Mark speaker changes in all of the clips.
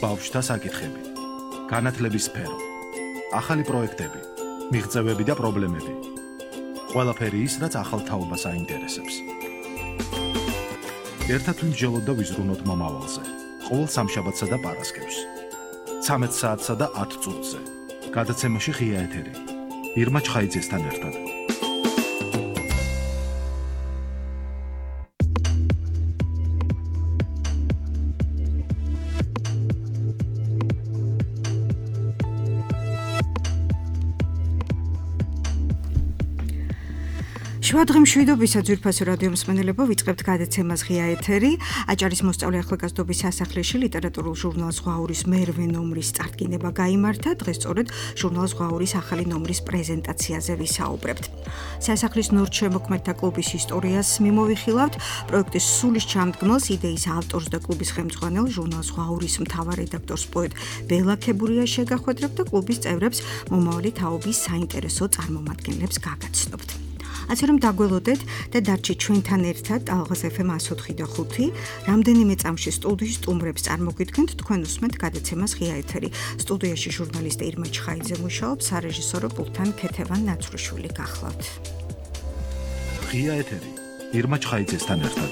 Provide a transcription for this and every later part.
Speaker 1: ბავშვთა საკითხები, განათლების სფერო, ახალი პროექტები, მიღწევები და პრობლემები. ყველაფერი ის, რაც ახალ თაობას აინტერესებს. ერთად ვიმსჯელოთ და ვიზრუნოთ მომავალზე. ყოველ სამშაბათსა და პარასკევს. 13 საათსა და 10 წუთზე. გადაცემაში ღია ეთერი. ირმა ჩხაიძესთან ერთად.
Speaker 2: შუადღე მშვიდობისა ძვირფასო რადიო მსმენელებო, ვიწყებთ გადაცემას ღია ეთერი. აჭარის მოსწავლე ახალგაზრდობის სასახლეში ლიტერატურულ ჟურნალ ზღვაურის მერვე ნომრის წარდგინება გაიმართა. დღეს სწორედ ჟურნალ ზღვაურის ახალი ნომრის პრეზენტაციაზე ვისაუბრებთ. სასახლის ნორჩემოქმედთა კლუბის ისტორიას მიმოვიხილავთ. პროექტის სულის ჩამდგმელს, იდეის ავტორს და კლუბის ხელმძღვანელ ჟურნალ ზღვაურის მთავარ რედაქტორს პოეტ ბელა ქებურიას შეგახვედრებთ და კლუბის წევრებს მომავალი თაობის საინტერესო წარმომადგენლებს გაგაცნობთ. ასე რომ დაგველოდეთ და დარჩით ჩვენთან ერთად ალღაზ FM 104.5 რამდენიმე წამში სტუდიის სტუმრებს წარმოგიდგენთ, თქვენ უსმენთ გადაცემას ღია ეთერი. სტუდიაში ჟურნალისტი ირმა ჩხაიძე მუშაობს, სარეჟისორო პულტთან ქეთევან ნაცრუშვილი გახლავთ.
Speaker 1: ღია ეთერი ირმა ჩხაიძესთან ერთად.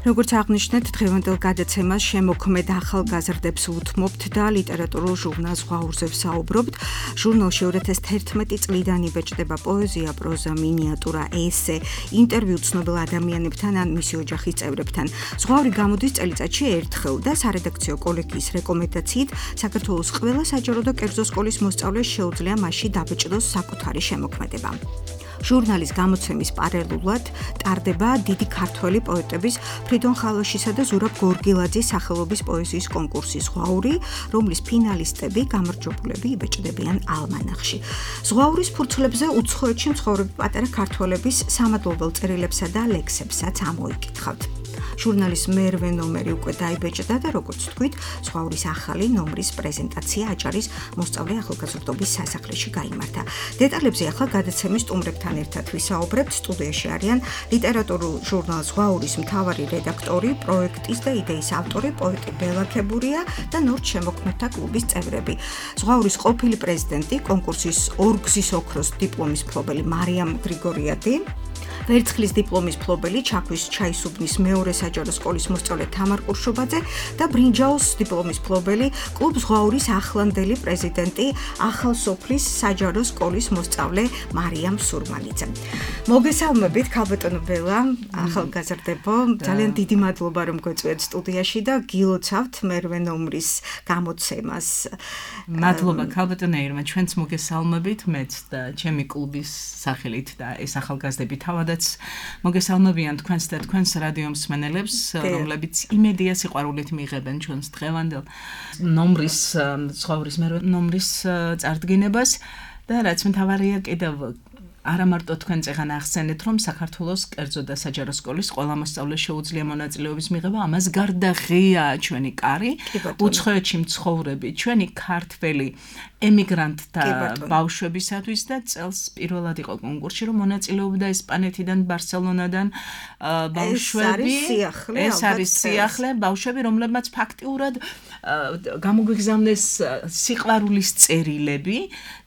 Speaker 2: როგორც აღნიშნეთ, დღევანდელ გადაცემას შემოქმედ ახალგაზრდებს უთმობთ და ლიტერატურულ ჟურნალ ზღვაურზე ვსაუბრობთ. ჟურნალში 2011 წლიდან იბეჭდება პოეზია, პროზა, მინიატურა, ესე, ინტერვიუ ცნობილ ადამიანებთან ან მისი ოჯახის წევრებთან. ზღვაური გამოდის წელიწადში ერთხელ და სარედაქციო კოლეგიის რეკომენდაციით საქართველოს ყველა საჯარო და კერძო სკოლის მოსწავლეს შეუძლია მასში დაბეჭდოს საკუთარი შემოქმედება. ჟურნალის გამოცემის პარალელურად ტარდება დიდი ქართველი პოეტების ფრიდონ ხალოშისა და ზურაბ გორგილაძის სახელობის პოეზიის კონკურსი ზღვაური, რომლის ფინალისტები გამარჯვებულები იბეჭდებიან ალმანახში. ზღვაურის ფურცლებზე უცხოეთში მცხოვრები პატარა ქართველების სამადლობელ წერილებსა და ლექსებსაც ამოიკითხავთ. ჟურნალის მერვე ნომერი უკვე დაიბეჭდა და როგორც თქვით, ზღვაურის ახალი ნომრის პრეზენტაცია აჭარის მოსწავლე ახალგაზრდობის სასახლეში გაიმართა. დეტალებზე ახლა გადაცემის სტუმრებთან ერთად ვისაუბრებთ. სტუდიაში არიან ლიტერატურულ ჟურნალ ზღვაურის მთავარი რედაქტორი, პროექტის და იდეის ავტორი პოეტი ბელა ქებურია და ნორჩემოქმედთა კლუბის წევრები. ზღვაურის ყოფილი პრეზიდენტი, კონკურსის ორგზის ოქროს დიპლომის მფლობელი მარიამ გრიგორიადი, ვერცხლის დიპლომის მფლობელი ჩაქვის ჩაისუბნის მეორე საჯარო სკოლის მოსწავლე თამარ ყურშუბაძე და ბრინჯაოს დიპლომის მფლობელი კლუბ ზღვაურის ახლანდელი პრეზიდენტი ახალსოფლის საჯარო სკოლის მოსწავლე მარიამ სურმანიძე. მოგესალმებით ქალბატონო ბელა, ახალგაზრდებო, ძალიან დიდი მადლობა რომ გვეწვიეთ სტუდიაში და გილოცავთ მერვე ნომრის გამოცემას.
Speaker 3: მადლობა ქალბატონო ირმა, ჩვენც მოგესალმებით, მეც და ჩემი კლუბის სახელით და ეს ახალგაზრდები თავადაც მოგესალმებიან თქვენს და თქვენს რადიო მსმენელებს, რომლებიც იმედია სიყვარულით მიიღებენ ჩვენს დღევანდელ ნომრის, ზღვაურის მერვე ნომრის წარდგინებას და რაც მთავარია კიდევ არა მარტო თქვენ წეგან ახსენეთ, რომ საქართველოს კერძო და საჯარო სკოლის ყველა მოსწავლეს შეუძლია მონაწილეობის მიღება, ამას გარდა ღია ჩვენი კარი, უცხოეთში მცხოვრები ჩვენი ქართველი ემიგრანტთა ბავშვებისათვის და წელს პირველად იყო კონკურსში, რომ მონაწილეობდა ესპანეთიდან, ბარსელონადან ბავშვები. ეს არის სიახლე ბავშვები, რომლებმაც ფაქტიურად გამოგვიგზავნეს სიყვარულის წერილები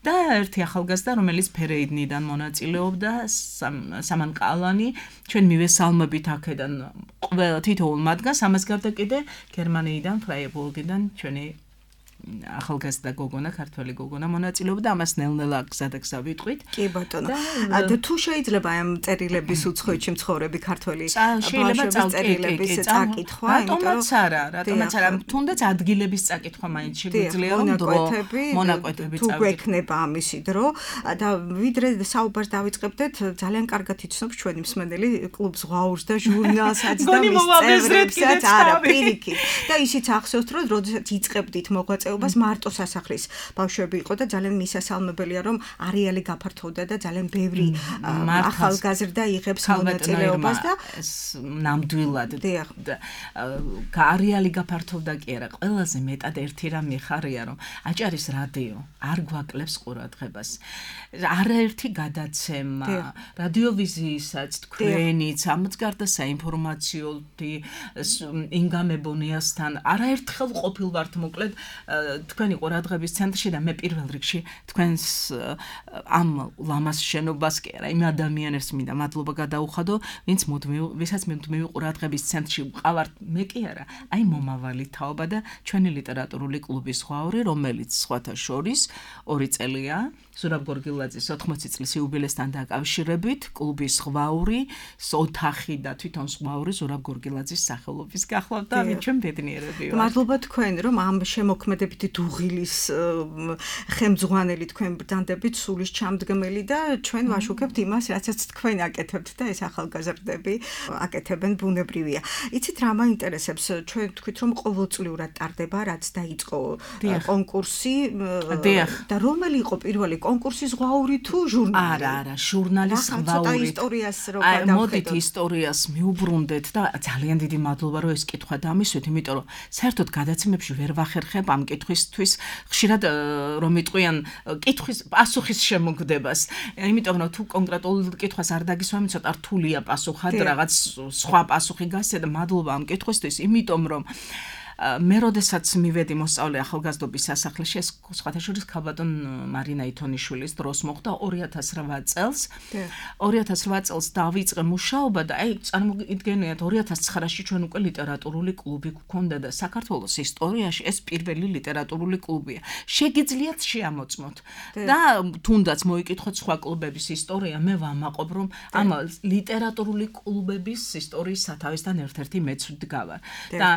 Speaker 3: და ერთი ახალგაზრდა, რომელიც ფერეიდნიდან მონაწილეობდა, სამან ყალანი, ჩვენ მივესალმებით აქედან თითოეულ მათგანს, ამას გარდა კიდე გერმანიიდან, ფრაიბურგიდან ჩვენი ახალგაზრდა გოგონა, ქართველი გოგონა მონაწილეობდა, ამას ნელ-ნელა გზადაგზა ვიტყვით.
Speaker 2: კი ბატონო. და თუ შეიძლება ამ წერილების უცხოეთში მცხოვრები ქართველი ბავშვების წერილების წაკითხვა,
Speaker 3: რატომაც არა, თუნდაც ადგილების წაკითხვა მაინც შეგვიძლია რომ მონაკვეთები
Speaker 2: თუ გვექნება ამისი დრო და ვიდრე საუბარს დავიწყებდეთ, ძალიან კარგად იცნობს ჩვენი მსმენელი კლუბ ზღვაურს და ჟურნალსაც და მის წევრებსაც, არა, პირიქით. და ისიც ახსოვთ, რომ როდესაც იწყებდით მოღვაწეობას მონაწილეობას მარტო სასახლის ბავშვები იყო და ძალიან მისასალმებელია რომ არეალი გაფართოვდა და ძალიან ბევრი ახალგაზრდა იღებს მონაწილეობას და
Speaker 3: ნამდვილად არეალი გაფართოვდა კი არა ყველაზე მეტად ერთი რამ მიხარია რომ აჭარის რადიო არ გვაკლებს ყურადღებას არაერთი გადაცემა რადიოვიზიისაც თქვენიც ამაც გარდა საინფორმაციო ინგა მებონიასთან არაერთხელ ყოფილ ვართ მოკლედ თქვენი ყურადღების ცენტრში და მე პირველ რიგში თქვენს ამ ლამას შენობას კი არა იმ ადამიანებს მინდა მადლობა გადაუხადო ვისაც მუდმივი ყურადღების ცენტრში ვყავართ მე კი არა აი მომავალი თაობა და ჩვენი ლიტერატურული კლუბის ზღვაური რომელიც სხვათა შორის 2 წელია ზურაბ გორგილაძის 80 წლის იუბილესთან დაკავშირებით კლუბის ზღვაური ოთახი და თვითონ ზღვაური ზურაბ გორგილაძის სახელობის გახლავთ და ამით ჩვენ ბედნიერები ვართ.
Speaker 2: მადლობა თქვენ რომ ამ შემოქმედებითი დუღილის ხელმძღვანელი თქვენ ბრძანდებით სულის ჩამდგმელი და ჩვენ ვაშუქებთ იმას რაცაც თქვენ აკეთებთ და ეს ახალგაზრდები აკეთებენ ბუნებრივია. იცით რა მაინტერესებს ჩვენ თქვით რომ ყოველწლიურად ტარდება რაც დაიწყო კონკურსი და რომელი იყო პირველი კონკურსი ზღვაური თუ ჟურნალი?
Speaker 3: არა, ჟურნალის ზღვაური.
Speaker 2: ისტორიას რო გადავხედოთ.
Speaker 3: მოდით ისტორიას მიუბრუნდეთ და ძალიან დიდი მადლობა რომ ეს კითხვა დამისვით, იმიტომ რომ საერთოდ გადაცემებში ვერ ვახერხებ ამ კითხვისთვის ხშირად რომ იტყვიან კითხვის პასუხის შემოგდებას. იმიტომ რომ თუ კონკრეტულ კითხვას არ დაგისვამი, ცოტა რთულია პასუხად, რაღაც სხვა პასუხი გასცე და მადლობა ამ კითხვისთვის, იმიტომ რომ მე როდესაც მივედი მოსწავლე ახალგაზრდობის სასახლეში ეს სხვათა შორის ქალბატონ მარინა ითონიშვილის დროს მოხდა 2008 წელს 2008 წელს დავიწყე მუშაობა და აი წარმოიდგენიათ 2009-ში ჩვენ უკვე ლიტერატურული კლუბი გვქონდა და საქართველოს ისტორიაში ეს პირველი ლიტერატურული კლუბია შეგიძლიათ შეამოწმოთ და თუნდაც მოიკითხოთ სხვა კლუბების ისტორია მე ვამაყობ რომ ამ ლიტერატურული კლუბების ისტორიის სათავესთან ერთ-ერთი მეც ვდგავარ და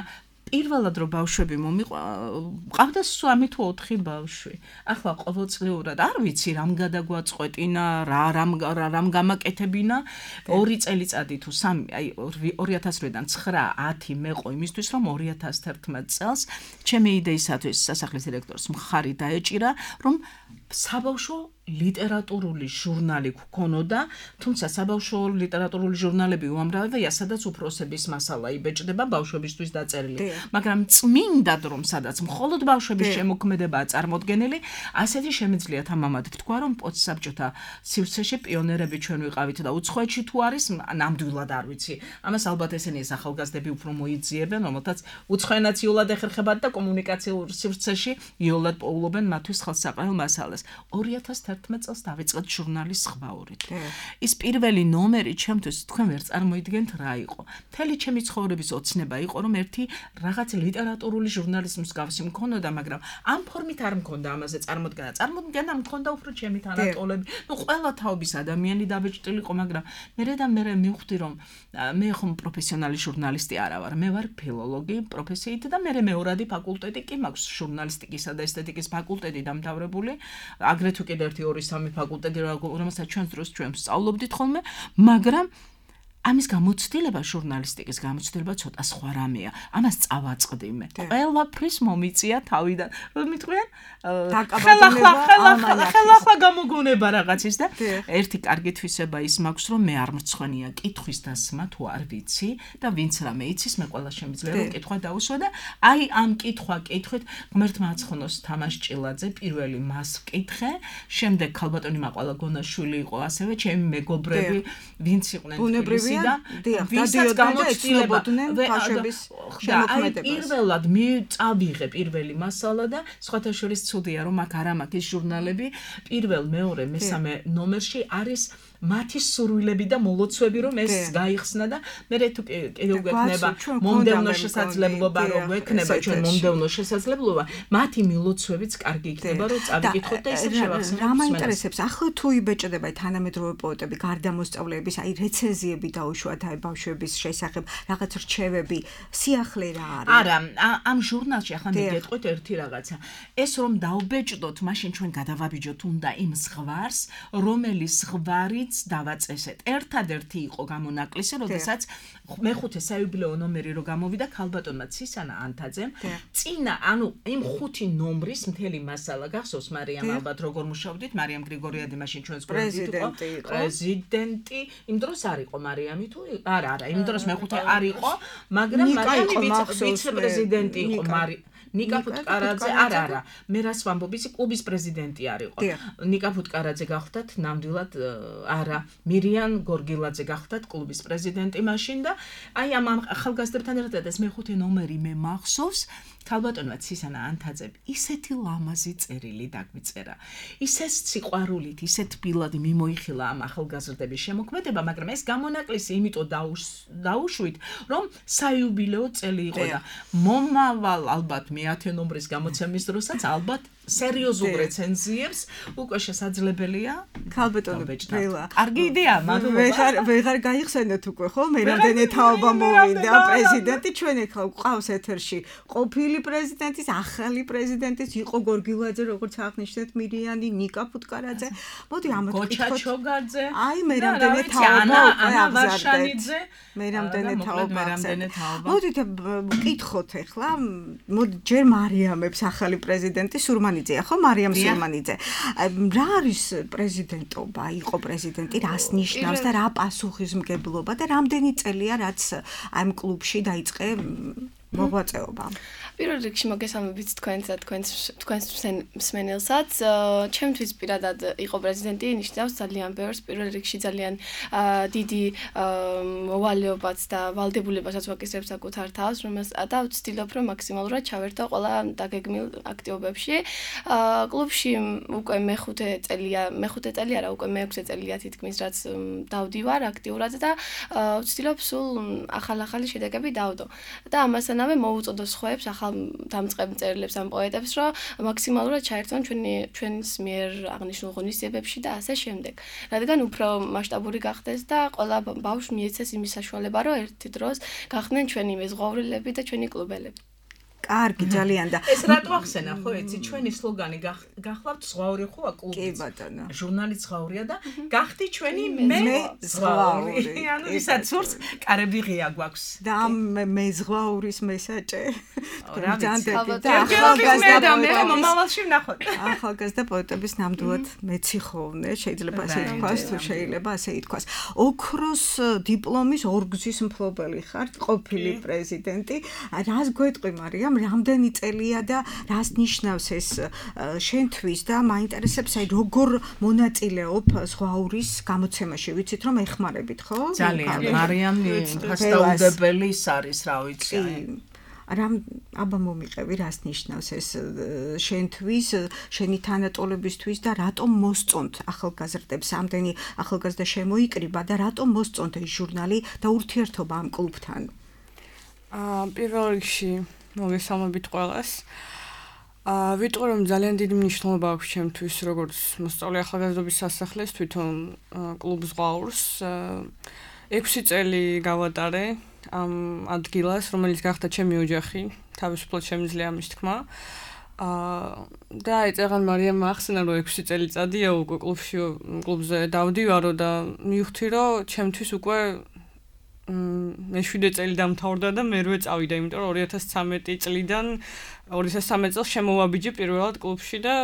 Speaker 3: პირველად რომ ბავშვები მყავდა 3 თუ 4 ბავშვი. ახლა ყოველწლიურად არ ვიცი რამ გადაგვაწყვეტინა, რამ გამაკეთებინა 2 წელიწადი თუ 3, აი 2008-დან 9-10 მეყო იმისთვის რომ 2011 წელს ჩემი იდეისათვის სასახლის დირექტორს მხარი დაეჭირა რომ საბავშვო ლიტერატურული ჟურნალი გქონოდა, თუმცა საბავშვო ლიტერატურული ჟურნალები უამრავია, სადაც უფროსების მასალა იბეჭდება ბავშვებისთვის დაწერილი. მაგრამ წმინდად რომ სადაც მხოლოდ ბავშვების შემოქმედებაა წარმოდგენილი, ასეთი შემიძლიათ ამამად ვთქვა, რომ პოსტსაბჭოთა სივრცეში პიონერები ჩვენ ვიყავით და უცხოეთში თუ არის, ნამდვილად არ ვიცი. ამას ალბათ ესენი ახალგაზრდები უფრო მოიძიებენ, რომელთაც უცხოენაც იოლად ეხერხებათ და კომუნიკაციურ სივრცეში იოლად პოულობენ მათთვის ხელსაყრელ მასალას. 2011 წელს დავიწყეთ ჟურნალის ზღვაურით. ის პირველი ნომერი ჩემთვის თქვენ ვერ წარმოიდგენთ რა იყო. მთელი ჩემი ცხოვრების ოცნება იყო რომ ერთი რაღაც ლიტერატურული ჟურნალის მსგავსი მქონოდა, მაგრამ ამ ფორმით არ მქონდა ამაზე წარმოდგენა. წარმოდგენა მქონდა უფრო ჩემი თანატოლები. ნუ ყველა თაობის ადამიანი დაბეჭდილიყო, მაგრამ მე მივხვდი რომ მე ხომ პროფესიონალი ჟურნალისტი არა ვარ. მე ვარ ფილოლოგი პროფესიით და მე მეორადი ფაკულტეტი კი მაქვს ჟურნალისტიკისა და ესთეტიკის ფაკულტეტი დამთავრებული. აგრეთვე კიდევ 2-3 ფაკულტეტი რომელსაც ჩვენს დროს ჩვენ ვსწავლობდით ხოლმე, მაგრამ ამის გამოცდილება ჟურნალისტიკის გამოცდილება ცოტა სხვა რამეა. ამას წავაწყდი მე. ყველაფრის მომიწია თავიდან. რომ მიტყვიან ხელახლა გამოგონება რაღაცის და ერთი კარგი თვისება ის მაქვს რომ მე არ მრცხვენია კითხვის დასმა თუ არ ვიცი და ვინც რამე იცის მე ყველა შემიძლია რომ კითხვა დაუსვა და აი ამ კითხვით ღმერთმა აცხონოს თამაშ ჭილაძე პირველი მას ვკითხე, შემდეგ ქალბატონი მაყვალა გონაშვილი იყო ასევე ჩემი მეგობრები ვინც იყვნენ თბილისში და ვისაც გამოცდილებოდნენ ბავშვების შემოქმედებას. პირველად წავიღე პირველი მასალა და სხვათა შორის ცუდია რომ აქ არ მაქვს ის ჟურნალები პირველ, მეორე, მესამე ნომერში არის მათი სურვილები და მოლოცვები რომ ეს გაიხსნა და მე თუ კიდევ გვექნება მომდევნო შესაძლებლობა რომ გვექნება ჩვენ მომდევნო შესაძლებლობა მათი მოლოცვებიც კარგი იქნება რომ წავიკითხოთ და ისე შევახსენოთ.
Speaker 2: რა მაინტერესებს ახლა თუ იბეჭდება თანამედროვე პოეტები გარდა მოსწავლეების აი რეცენზიები დაუშვათ აი ბავშვების შესახებ რაღაც რჩევები სიახლე რა არის?
Speaker 3: არა, ამ ჟურნალში ახლა მე გეტყვით ერთი რაღაცა. ეს რომ დავბეჭდოთ, მაშინ ჩვენ გადავაბიჯოთ უნდა იმ ზღვარს, რომელიც ზღვარიც მაინც დავაწესეთ. ერთადერთი იყო გამონაკლისი, როდესაც მეხუთე საიუბილეო ნომერი რო გამოვიდა ქალბატონმა ცისანა ანთაძემ, წინა, ანუ იმ 5 ნომრის მთელი მასალა გახსოვს მარიამ ალბათ როგორ მუშაობდით, მარიამ გრიგორიადი მაშინ ჩვენს პრეზიდენტი, იმ დროს არ იყო მარიამი თუ არა, იმ დროს მეხუთე არ იყო, მაგრამ მარიამი ვიცე-პრეზიდენტი იყო ნიკა ფუტკარაძე არა მე რას ვამბობ ისი კლუბის პრეზიდენტი არ იყო ნიკა ფუტკარაძე გახდათ ნამდვილად არა მირიან გორგილაძე გახდათ კლუბის პრეზიდენტი მაშინ და აი ამ ახალგაზრდებთან ერთად ეს მეხუთე ნომერი მე მახსოვს ქალბატონმა ცისანა ანთაძემ ისეთი ლამაზი წერილი დაგვიწერა ისეთ სიყვარულით ისეთ ბილად მიმოიხილა ამ ახალგაზრდების შემოქმედება მაგრამ ეს გამონაკლისი იმიტომ დაუშვით რომ საიუბილეო წელი იყო და მომავალ ალბათ მე-10 ნომრის გამოცემის დროსაც ალბათ სერიოზულ რეცენზიებს უკვე შესაძლებელია
Speaker 2: ქალბატონო ბეჭდა.
Speaker 3: კარგი იდეა, მაგრამ
Speaker 2: ვეღარ გაიხსენეთ უკვე ხო? მე რამდენი თაობა მოვიდა პრეზიდენტი ჩვენ ეხლა გვყავს ეთერში. ყოფილი პრეზიდენტის, ახალი პრეზიდენტის იყო გორგილაძე, როგორც აღნიშნეთ, მირიანი, ნიკა ფუტკარაძე. მოდი ამათ
Speaker 3: გოჩა ჩოგაძე.
Speaker 2: აი მე რამდენი თაობა
Speaker 3: ანა ვარშანიძე.
Speaker 2: მე რამდენი თაობა. მოდით ვკითხოთ ეხლა. მოდი ჯერ მარიამებს ახალი პრეზიდენტი სურმანიძეა ხო მარიამ სურმანიძე. რა არის პრეზიდენტობა? იყო პრეზიდენტი, რას ნიშნავს და რა პასუხისმგებლობა და რამდენი წელია რაც ამ კლუბში დაიწყე მოღვაწეობა?
Speaker 4: პირველ რიგში მოგესალმებით თქვენს მსმენელსაც. ჩემთვის პირადად იყო პრეზიდენტი ნიშნავს ძალიან ბევრს. პირველ რიგში ძალიან დიდი მოვალეობაც და ვალდებულებასაც ვაკისრებს საკუთარ თავს, და ვცდილობ რომ მაქსიმალურად ჩავერთო ყველა დაგეგმილ აქტივობებში. კლუბში უკვე მეხუთე წელი არა, უკვე მეექვსე წელია თითქმის რაც დავდივარ აქტიურად და ვცდილობ სულ ახალი შედეგები დავდო. და ამასთანავე მოუწოდო სხვაებს დამწყებ მწერლებს ამ პოეტებს, რომ მაქსიმალურად ჩაერთონ ჩვენს მიერ აღნიშნულ ღონისძიებებში და ასე შემდეგ. რადგან უფრო მასშტაბური გახდეს და ყველა ბავშვს მიეცეს იმის საშუალება, რომ ერთი დროს გახდნენ ჩვენი მეზღვაურელები და ჩვენი კლუბელები.
Speaker 2: კარგი ძალიან და
Speaker 3: ეს რატო ახსენა ხო იცი ჩვენი სლოგანი გახლავთ ზღვაური ხო კლუბი
Speaker 2: კი ბატონო
Speaker 3: ჟურნალი ზღვაურია და გახდი ჩვენი მე ზღვაური ანუ ვისაც სურს კარები ღია გვაქვს
Speaker 2: და მე ზღვაურის მესაჭე ახალგაზრდა პოეტების ნამდვილად მეციხოვნე შეიძლება ასე ითქვას თუ შეიძლება ასე ითქვას ოქროს დიპლომის ორგზის მფლობელი ხარ ყოფილი პრეზიდენტი რას გვეტყვი მარიამ რამდენი წელია და რას ნიშნავს ეს შენთვის და მაინტერესებს აი როგორ მონაწილეობ ზღვაურის გამოცემაში ვიცით რომ ეხმარებით ხო
Speaker 3: ძალიან მარიამი ფასტაუდებელი არის რა ვიცი
Speaker 2: რამ აბა მომიყევი რას ნიშნავს ეს შენთვის შენი თანატოლებისთვის და რატომ მოსწონთ ახალგაზრდებს ამდენი ახალგაზრდა შემოიკრიბა და რატომ მოსწონთ ეს ჟურნალი და ურთიერთობა ამ კლუბთან
Speaker 5: პირველ რიგში მოგესალმებით ყველას. ვიტყვი რომ ძალიან დიდი მნიშვნელობა აქვს ჩემთვის როგორც მოსწავლე ახალგაზრდობის სასახლეს თვითონ კლუბ ზღვაურს 6 წელი გავატარე ამ ადგილას რომელიც გახდა ჩემი ოჯახი თავისუფლად შემიძლია ამის თქმა და ეწეღან მარიამ ახსენა რომ 6 წელიწადია უკვე კლუბზე დავდივარო და მივხვდი რომ ჩემთვის უკვე მე 7 წელი დამთავრდა და მერვე წავიდა, იმიტომ რომ 2013 წლიდან 2013 წელს შემოვაბიჯე პირველად კლუბში და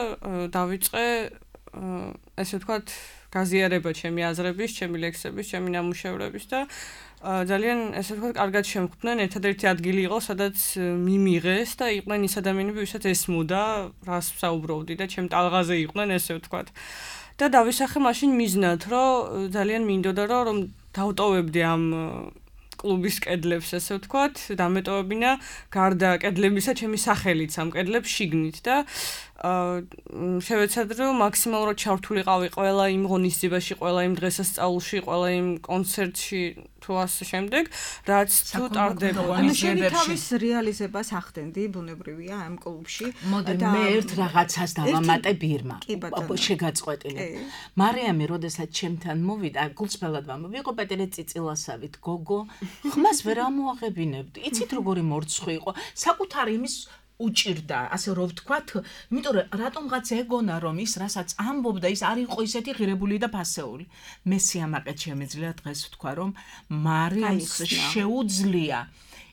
Speaker 5: დავიწყე ესე ვთქვათ გაზიარება ჩემი აზრების, ჩემი ლექსების, ჩემი ნამუშევრების და ძალიან ესე ვთქვათ კარგად შემხვდნენ, ერთადერთი ადგილი იყო, სადაც მიმიღეს და იყვნენ ის ადამიანები, ვისაც ესმოდა, რას საუბრობდი და ჩემ ტალღაზე იყვნენ, ესე ვთქვათ. და დავისახე მაშინ მიზნად, რომ ძალიან მინდოდა რომ დავტოვებდი ამ კლუბის კედლებს, ესე ვთქვათ, დამეტოვებინა გარდა კედლებისა ჩემი სახელიც ამ კედლებს შიგნით და შევეცადე რომ მაქსიმალურად ჩართულიყავი ყველა იმ ღონისძიებაში, ყველა იმ დღესასწაულში, ყველა იმ კონცერტში თუ ასე შემდეგ, რაც თუ ტარდება.
Speaker 2: ანუ შენი თავის რეალიზებას ახდენდი, ბუნებრივია ამ კლუბში.
Speaker 3: მოდი მე ერთ რაღაცას დავამატე ბირმა. შეგაწყვეტინე. მარიამი, როდესაც ჩემთან მოვიდა, გულწრფელად ვიყო პეტრე წიწილასავით, გოგო, ხმას ვერ ამოაღებინებდი. იცით როგორი მორცხვი იყო? საკუთარი იმის უჭირდა, ასე რომ ვთქვათ, იმიტომ რომ რატომღაც ეგონა რომ ის რასაც ამბობდა ის არ იყო ისეთი ღირებული და ფასეული. მე სიამაყედ შემიძლია დღეს ვთქვა რომ მარიამს შეუძლია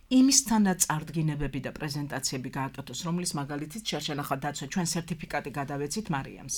Speaker 3: იმისთანაც წარდგინებები და პრეზენტაციები გააკეთოს, რომლის მაგალითიც შერშენახა დაცვა ჩვენ სერტიფიკატი გადავეცით მარიამს.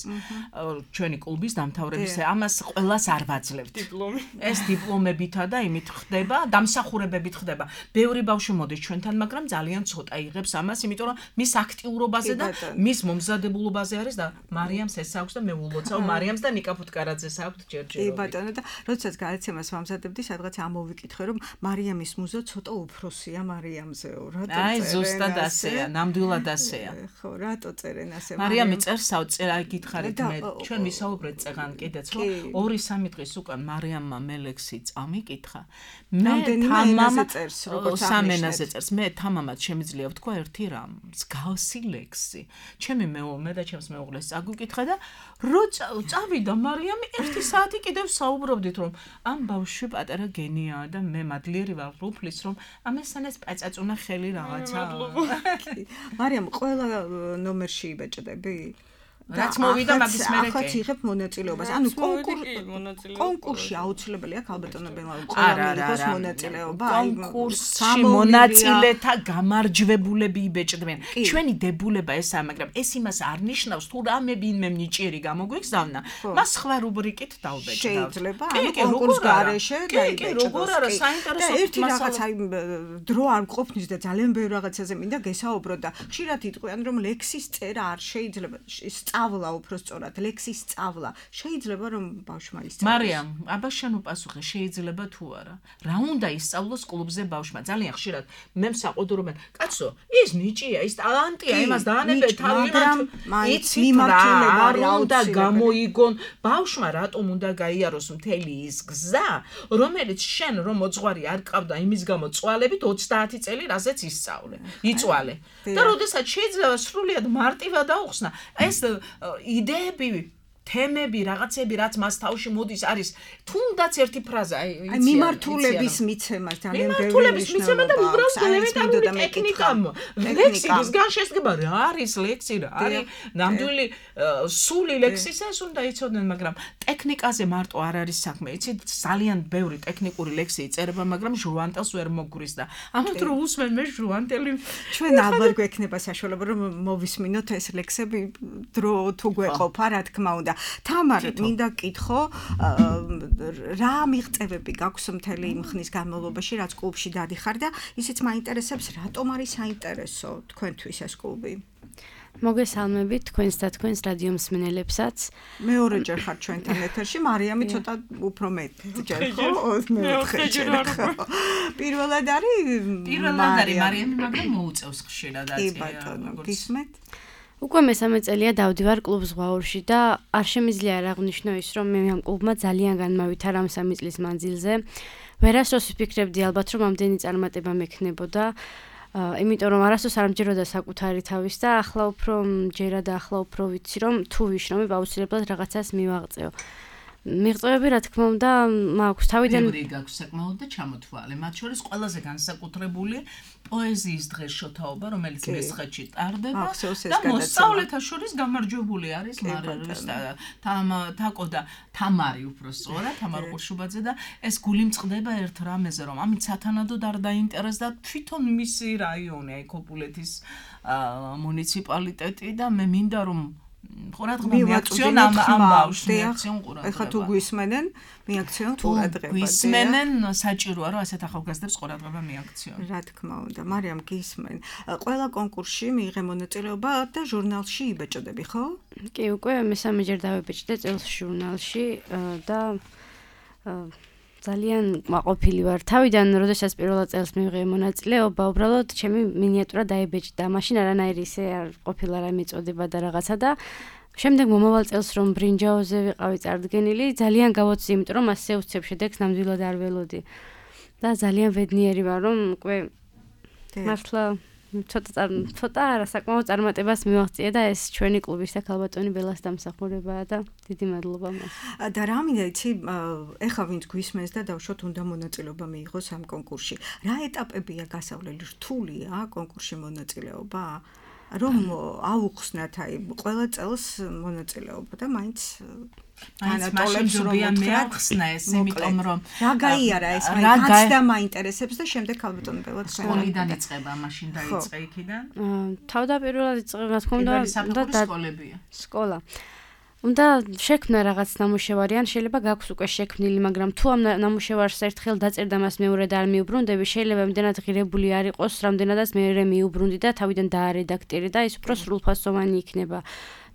Speaker 3: ჩვენი კლუბის დამთავრების ამას ყველას არ ვაძლევთ.
Speaker 5: დიპლომი.
Speaker 3: ეს დიპლომებითა და იმით ხდება, დამსახურებებით ხდება. ბევრი ბავშვი მოდის ჩვენთან, მაგრამ ძალიან ცოტა იღებს ამას, იმიტომ რომ მის აქტიურობაზე და მის მომზადებულობაზე არის და მარიამს ეს აქვს და მე ულოცავ მარიამს და ნიკა ფუტკარაძეს აქვს ჯერჯერობით.
Speaker 2: კი ბატონო და როდესაც გადაცემას ვამზადებდი, სადღაც ამოვიკითხე რომ მარიამის მუზა ცოტა უფროსია მარიამზეო, რატო წერენ?
Speaker 3: აი, ზუსტად ასეა, ნამდვილად ასეა.
Speaker 2: ხო, რატო წერენ ასე?
Speaker 3: მარიამი წერსავ წერა გითხარით მე, ჩვენ ვისაუბრეთ წეგან კიდეც, რომ 2-3 დღის უკან მარიამმა მე ლექსი წამიკითხა. მე თამამა წერს, როგორც სამენაზე წერს. მე თამამად შემიძლია ვთქვა ერთი რამ, მსგავსი ლექსი. ჩემი მე და ჩემს მეუღლეს წაგვიკითხა და რო წავიდა მარიამი 1 საათი კიდევ საუბრობდით, რომ ამ ბავშვი პატარა გენიაა და მე მადლიერი ვარ უფლის, რომ ამასთან პაწაწუნა ხელი რაღაცა.
Speaker 2: მარიამ, ყველა ნომერში იბეჭდები?
Speaker 3: რაც მოვიდა მაგის მერე
Speaker 2: ახაც იღებ მონაწილეობას. ანუ კონკურსში აუცილებელია ალბათონებელა ყველა მიიღოს მონაწილეობა.
Speaker 3: კონკურსში მონაწილეთა გამარჯვებულები იბეჭდნენ. ჩვენი დებულება ესაა, მაგრამ ეს იმას არ ნიშნავს, თუ რამე ვინმე ნიჭიერი გამოგვიგზავნა, მას სხვა რუბრიკით დავბეჭდავთ.
Speaker 2: შეიძლება, ანუ კონკურს გარეშე დაიბეჭდოს.
Speaker 3: კი, როგორ არა, საინტერესო
Speaker 2: ერთი რაღაც აი დრო არ მყოფნის და ძალიან ბევრ რაღაცაზე მინდა გესაუბრო და ხშირად იტყვიან, რომ ლექსის წერა არ შეიძლება სწავლა უფრო სწორად, ლექსის სწავლა. შეიძლება რომ ბავშვმა ისწავლოს.
Speaker 3: მარიამ, აბა შენ უპასუხე, შეიძლება თუ არა. რა უნდა ისწავლოს კლუბზე ბავშვმა? ძალიან ხშირად მე მსაყუდრობენ, კაცო, ის ნიჭია, ის ტალანტია, იმას დაანებე თავი, იცი მიმართულება არ უნდა გამოიგონ. ბავშვმა რატომ უნდა გაიაროს მთელი ის გზა, რომელიც შენ რომ მოძღვარი არ ყავდა იმის გამო წვალებით 30 წელი რაზეც ისწავლე, იწვალე. და როდესაც შეიძლება სრულიად მარტივად დაუხსნა, ეს იდეები, თემები, რაღაცები, რაც მას თავში მოდის, არის თუნდაც ერთი ფრაზა,
Speaker 2: აი მიმართულების მიცემა ძალიან ბევრი
Speaker 3: მიმართულების მიცემა და უბრალოდ ელემენტარული ტექნიკა. ლექსის განშესება რა არის ლექსი, რა არის ნამდვილი სული ლექსისა, ეს უნდა იცოდნენ, მაგრამ ტექნიკაზე მარტო არ არის საქმე. იცით, ძალიან ბევრი ტექნიკური ლექსი იწერება, მაგრამ ჟუანტელს ვერ მოგგვრის და ამათ რო უსმენ მე ჟუანტელი.
Speaker 2: ჩვენ ალბათ გვექნება საშუალება რომ მოვისმინოთ ეს ლექსები დრო თუ გვეყოფა, რა თქმა უნდა. თამარ, მინდა გკითხო, რა მიღწევები გაქვს მთელი იმ ხნის განმავლობაში, რაც კლუბში დადიხარ და ისიც მაინტერესებს, რატომ არის საინტერესო თქვენთვის ეს კლუბი?
Speaker 6: მოგესალმებით თქვენს და თქვენს რადიო მსმენელებსაც.
Speaker 2: მეორეჯერ ხარ ჩვენთან ეთერში, მარიამი ცოტა უფრო მეტჯერ ხო? მეოთხეჯერ. პირველად არის
Speaker 3: მარიამი, მაგრამ მოუწევს ხშირად აწია.
Speaker 2: კი ბატონო, გისმენთ?
Speaker 6: უკვე მესამე წელია დავდივარ კლუბ ზღვაურში და არ შემიძლია არ აღვნიშნო ის, რომ მე ამ კლუბმა ძალიან განმავითარა ამ 3 წლის მანძილზე. ვერასდროს ვფიქრებდი ალბათ, რომ ამდენი წარმატება მექნებოდა. იმიტომ რომ არასდროს არ მჯეროდა საკუთარი თავის და ახლა უფრო მჯერა და ახლა უფრო ვიცი, რომ თუ ვიშრომებ აუცილებლად რაღაცას მივაღწევ. მიღწევები რა თქმა უნდა მაქვს თავიდან
Speaker 3: ბევრი გაქვს საკმაოდ და ჩამოთვალე. მათ შორის ყველაზე განსაკუთრებული პოეზიის დღეს შოთაობა, რომელიც მესხეთში ტარდება და მოსწავლეთა შორის გამარჯვებული არის თაკო და თამარი უფრო სწორად, თამარ ყურშუბაძე და ეს გული მწყდება ერთ რამეზე, რომ ამით სათანადოდ არ დაინტერესდა თვითონ მისი რაიონი, აი ქოპულეთის მუნიციპალიტეტი და მე მინდა რომ ყურადღება მიაქციონ ამ ბავშვს, მიაქციონ ყურადღება.
Speaker 2: ეხლა თუ გვისმენენ, მიაქციონ ყურადღება.
Speaker 3: გვისმენენ, საჭიროა რომ ასეთ ახალგაზრდებს ყურადღება მიაქციონ.
Speaker 2: რა თქმა უნდა, მარიამ გისმენ. ყველა კონკურსში მიიღე მონაწილეობა და ჟურნალში იბეჭდები, ხო?
Speaker 6: კი, უკვე მესამეჯერ დავებეჭდე წელს ჟურნალში და ძალიან მაყოფილი ვარ. თავიდან, როდესაც პირველ წელს მივიღე მონაწილეობა, უბრალოდ ჩემი მინიატურა დაებეჭდა. მაშინ არანაირი ისე არ ყოფილა რა მიწოდება და რაღაცა და შემდეგ მომავალ წელს რომ ბრინჯაოზე ვიყავი წარდგენილი, ძალიან გავოცდი, იმიტომ რომ ასე უცებ შედეგს ნამდვილად არ ველოდი. და ძალიან ბედნიერი ვარ, რომ უკვე მართლა ცოტა არასაკმაო წარმატებას მივაღწია და ეს ჩვენი კლუბის და ქალბატონი ბელას დამსახურებაა და დიდი მადლობა მას.
Speaker 2: და რა მინდა იცი, ეხლა ვინც გვისმენს და დავშოთ უნდა მონაწილეობა მიიღოს ამ კონკურსში. რა ეტაპებია გასავლელი? რთულია კონკურსში მონაწილეობა? რომ აუხსნათ აი ყველა წელს მონაწილეობა და მაინც
Speaker 3: განატოლებს რომ მეახსნა ეს იმიტომ რომ
Speaker 2: რა გაიარა ეს მაინც და მაინტერესებს და შემდეგ ქალბატონი ბელა
Speaker 3: სკოლიდან იწყება მაშინ დაიწყე იქიდან
Speaker 6: თავდაპირველად იწყება რა თქმა უნდა
Speaker 3: სკოლებია
Speaker 6: სკოლა უნდა შექმნა რაღაც ნამუშევარი ან შეიძლება გაქვს უკვე შექმნილი მაგრამ თუ ამ ნამუშევარს ერთხელ დაწერდა მას მეორედ არ მიუბრუნდები შეიძლება იმდენად ღირებული არ იყოს რამდენადაც მეორე მიუბრუნდი და თავიდან დაარედაქტირე და ის უფრო სრულფასოვანი იქნება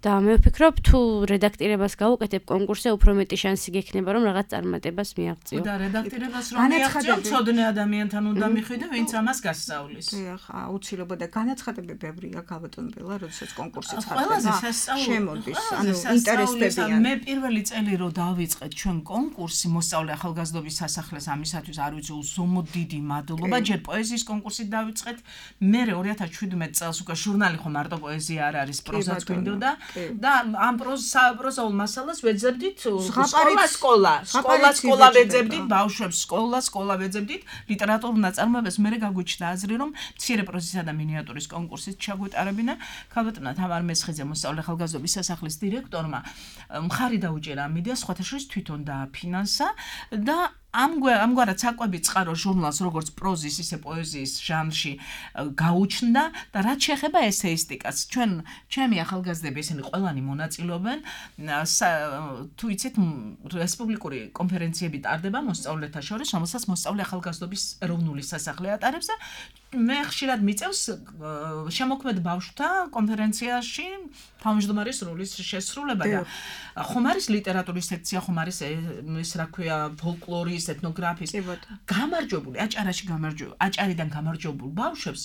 Speaker 6: და მე ვფიქრობ თუ რედაქტირებას გავუკეთებ კონკურსზე უფრო მეტი შანსი გექნება რომ რაღაც წარმატებას მიაღწიო.
Speaker 3: და რედაქტირებას რომ მიაღწიო, ცოდნე ადამიანთან უნდა მიხვიდე, ვინც ამას გასწავლის.
Speaker 2: დიახ, აუცილებლად და განაცხადები ბევრია ქალბატონ ბელა, როდესაც კონკურსი ცხადდება.
Speaker 3: ყველაზე
Speaker 2: შემოდის, ანუ ინტერესდებიან.
Speaker 3: მე პირველი წელი რომ დავიწყეთ ჩვენ კონკურსი მოსწავლე ახალგაზრდობის სასახლეს ამისათვის არ ვიცი უსუმოდ დიდი მადლობა, ჯერ პოეზიის კონკურსით დავიწყეთ, მე 2017 წელს უკვე ჟურნალი ხო მარტო პოეზია არ არის, პროზაც გვინდოდა. და ამ პროზაულ მასალას ვეძებდით სკოლა ვეძებდით ბავშვებს სკოლა ვეძებდით ლიტერატურულ ნაწარმოებებს მე გაგვიჩნდა აზრი რომ მცირე პროზისა და მინიატურის კონკურსით ჩაგვეტარებინა ქალბატონმა თამარ მესხიძე მოსწავლე ახალგაზრდობის სასახლის დირექტორმა მხარი დაუჭერა ამ იდეას სხვათა შორის თვითონ დააფინანსა და ამგვარად საკვები წყარო ჟურნალს როგორც პროზის ისე პოეზიის ჟანრში გაუჩნდა და რაც შეეხება ესეისტიკას ჩემი ახალგაზრდები ისინი ყველანი მონაწილეობენ თუ იცით რესპუბლიკური კონფერენციები ტარდება მოსწავლეთა შორის რომელსაც მოსწავლე ახალგაზრდობის ეროვნული სასახლე ატარებს და მე ხშირად მიწევს შემოქმედ ბავშვთა კონფერენციაში თავმჯდომარის როლის შესრულება და ხომ არის ლიტერატურის სექცია ხომ არის ის რა ქვია ფოლკლორის ეთნოგრაფიის გამარჯვებული აჭარიდან გამარჯვებულ ბავშვებს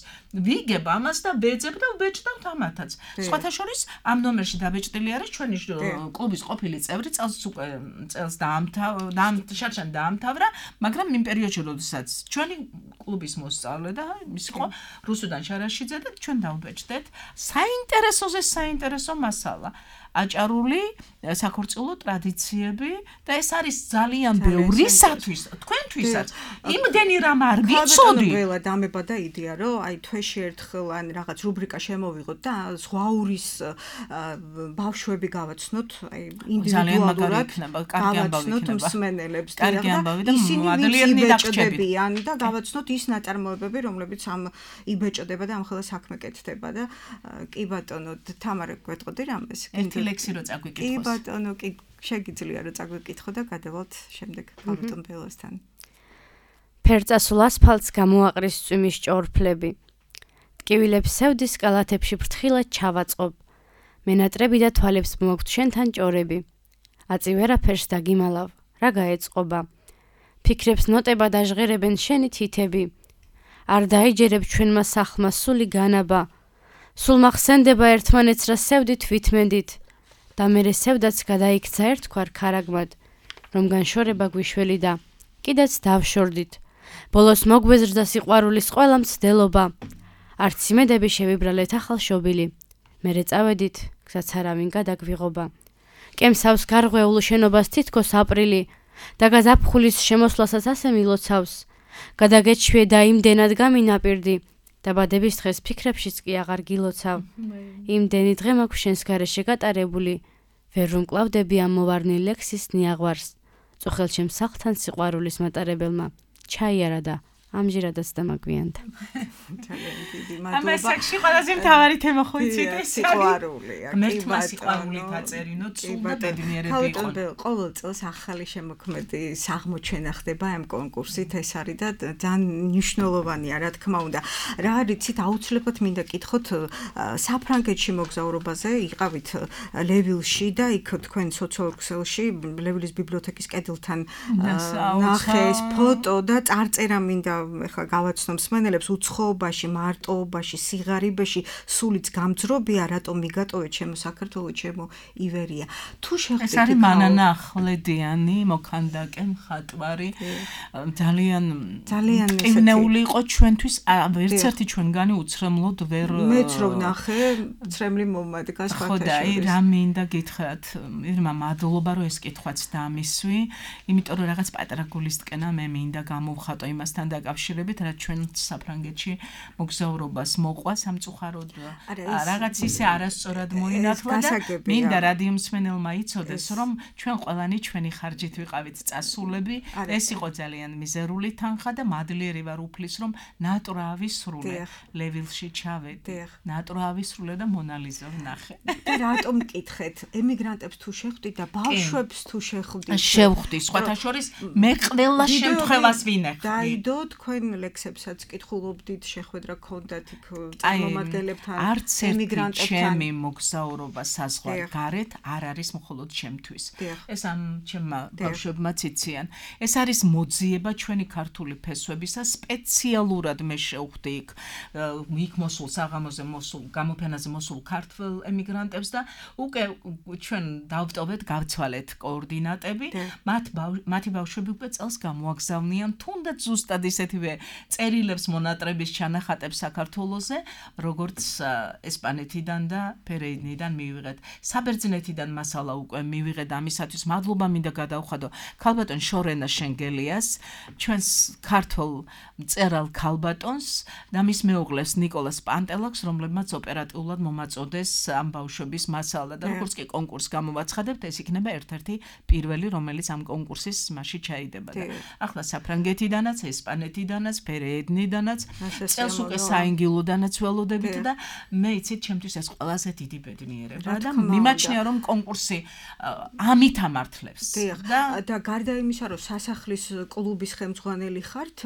Speaker 3: ვიგებ ამას და ვეძებ და ვბეჭდავთ ამათაც სხვათა შორის ამ ნომერში დაბეჭდილი არის ჩვენი კლუბის ყოფილი წევრი წელს დაამთავრა მაგრამ იმ პერიოდში როდესაც ჩვენი კლუბის მოსწავლე და ის ხო რუსუდან შარაშიძე და ჩვენ დავბეჭდეთ საინტერესო მასალა აჭარული საქორწილო ტრადიციები და ეს არის ძალიან ბევრისათვის თქვენთვისაც იმდენი რამ არ ვიცოდი
Speaker 2: ყველა დამება და იდეა რომ აი თვეში ერთხელ ან რაღაც რუბრიკა შემოვიღოთ და ზღვაურის ბავშვები გავაცნოთ აი ინდივიდუალურად გავაცნოთ მსმენელებს და ისინი იბეჭდებიან და გავაცნოთ ის ნაწარმოებები რომლებიც ამ იბეჭდება და ამ ხელა საქმე კეთდება და კი ბატონო თამარ გვეტყოდი რამეს
Speaker 3: ლექსი რო წაგვიკითხოს.
Speaker 2: კი ბატონო, კი შეგიძლია რომ წაგვიკითხო და გადავალთ შემდეგ ქალბატონ ბელასთან.
Speaker 6: ფერწასულ ასფალტს გამოაყრის წვიმის ჭორფლები. ტკივილებს სევდის კალათებში ფრთხილად ჩავაწყობ. მენატრები და თვალებს მოგთ შენთან ჭორები. აწი ვერაფერს დაგიმალავ, რა გაეწყობა. ფიქრებს ნოტება დაჟღერებენ შენი თითები. არ დაიჯერებ ჩვენმა სახლმა სული განაბა. სულ მახსენდება ერთმანეთს რა სევდით ვითმენდით და მერე სევდაც გადაიქცა ერთგვარ ქარაგმად რომ განშორება გვიშველი და კიდეც დავშორდით ბოლოს მოგვეზრდა სიყვარულის ყველა მცდელობა არც იმედები შევიბრალეთ ახალ შობილი მერე წავედით გზაც არავინ გადაგვიღობა კემსავს გარღვეულ შენობას თითქოს აპრილი და გაზაფხულის შემოსვლასაც ასე მილოცავს გადაგეჩვიე და იმდენად გამინაპირდი დაბადების დღეს ფიქრებშიც კი აღარ გილოცავ. იმდენი დღე მაქვს შენს გარეშე გატარებული, ვერ რომ კლავდები ამ მოვარნილ ლექსის ნიაღვარს. წუხელ ჩემს სახლთან სიყვარულის მატარებელმა ჩაიარა და ამჟირადაც დამაგვიანდა.
Speaker 2: ძალიან დიდი მადლობა.
Speaker 3: ამას აქში ყველაზე მთავარი თემა ხო იცით ეს
Speaker 2: სიყვარულია.
Speaker 3: მერტმა სიყვარული დაწერინო, ცუდა ბედნიერები იყო.
Speaker 2: ყოველ წელს ახალი შემოქმედი აღმოჩენა ხდება ამ კონკურსით, ეს არის და ძალიან მნიშვნელოვანია, რა თქმა უნდა. რა არიცით, აუცილებლად მინდა კითხოთ საფრანგეთში მოგზაურობაზე, იყავით ლევილში და იქ თქვენ სოციოქსელში ლევილის ბიბლიოთეკის კედელთან ნახე ეს ფოტო და წარწერა მინდა ეხლა გავაცნო მსმენელებს უცხოობაში, მარტოობაში, სიღარიბეში, სულიც გამძრობია, რატომ მიგატოვეთ ჩემო საქართველო, ჩემო ივერია. თუ შეხვდით
Speaker 3: ეს არის მანანა ახვლედიანი, მოქანდაკე, მხატვარი, ძალიან ყინეული იყო ჩვენთვის, ერთ ერთი ჩვენგანი უცრემლოდ ვერ
Speaker 2: მეც რო ვნახე, ცრემლი მომადგა სხვათა შორის.
Speaker 3: ხო და აი რა მინდა გითხრათ, ირმა მადლობა რომ ეს კითხვაც დამისვი, იმიტომ რომ რაღაც პატარა გულისტკენა მე მინდა გამოვხატო იმასთან და დაკავშირებით, რაც ჩვენ საფრანგეთში მოგზაურობას მოყვა სამწუხაროდ რაღაც ისე არასწორად მოინათლა და მინდა რადიო მსმენელმა იცოდეს, რომ ჩვენ ყველანი ჩვენი ხარჯით ვიყავით წასულები, ეს იყო ძალიან მიზერული თანხა და მადლიერი ვარ უფლის, რომ ნატურა ავისრულე, ლევილში ჩავედი, ნატურა ავისრულე და მონალიზა ვნახე.
Speaker 2: და რატომ მკითხეთ, ემიგრანტებს თუ შეხვდით და ბავშვებს თუ შეხვდით?
Speaker 3: შევხვდი, სხვათა შორის მე ყველა შემთხვევას ვინახავ.
Speaker 2: დაიდო თქვენ ლექსებსაც კითხულობდით, შეხვედრა გქონდათ იქ წარმომადგენლებთან,
Speaker 3: ემიგრანტებთან. ჩემი მოგზაურობა საზღვარ გარეთ არ არის მხოლოდ ჩემთვის. ეს ამ ჩემმა ბავშვებმაც იციან. ეს არის მოძიება ჩვენი ქართული ფესვებისა, სპეციალურად მე შევხვდი იქ მოსულ საღამოზე მოსულ გამოფენაზე მოსულ ქართველ ემიგრანტებს და უკვე ჩვენ დავტოვეთ, გავცვალეთ კოორდინატები, მათი ბავშვები უკვე წელს გამოაგზავნიან თუნდაც ზუსტად ისეთივე წერილებს მონატრების ჩანახატებს საქართველოზე, როგორც ესპანეთიდან და ფერეიდნიდან მივიღეთ. საბერძნეთიდან მასალა უკვე მივიღეთ ამისათვის. მადლობა მინდა გადავხადო ქალბატონ შორენა შენგელიას, ჩვენს ქართულ მწერალ ქალბატონს და მის მეუღლეს ნიკოლას პანტელაკს, რომლებმაც ოპერატიულად მომაწოდეს ამ ბავშვების მასალა და როგორც კი კონკურს გამოვაცხადებთ, ეს იქნება ერთ-ერთი პირველი, რომელიც ამ კონკურსის მასში ჩაიდება. ახლა საფრანგეთიდანაც, ესპანეთიდანაც, ფერეიდნიდანაც, წელს უკვე საინგილოდანაც ველოდებით და მე იცით, ჩემთვის ეს ყველაზე დიდი ბედნიერება და მიმაჩნია, რომ კონკურსი ამით ამართლებს.
Speaker 2: და გარდა იმისა, რომ სასახლის კლუბის ხელმძღვანელი ხართ,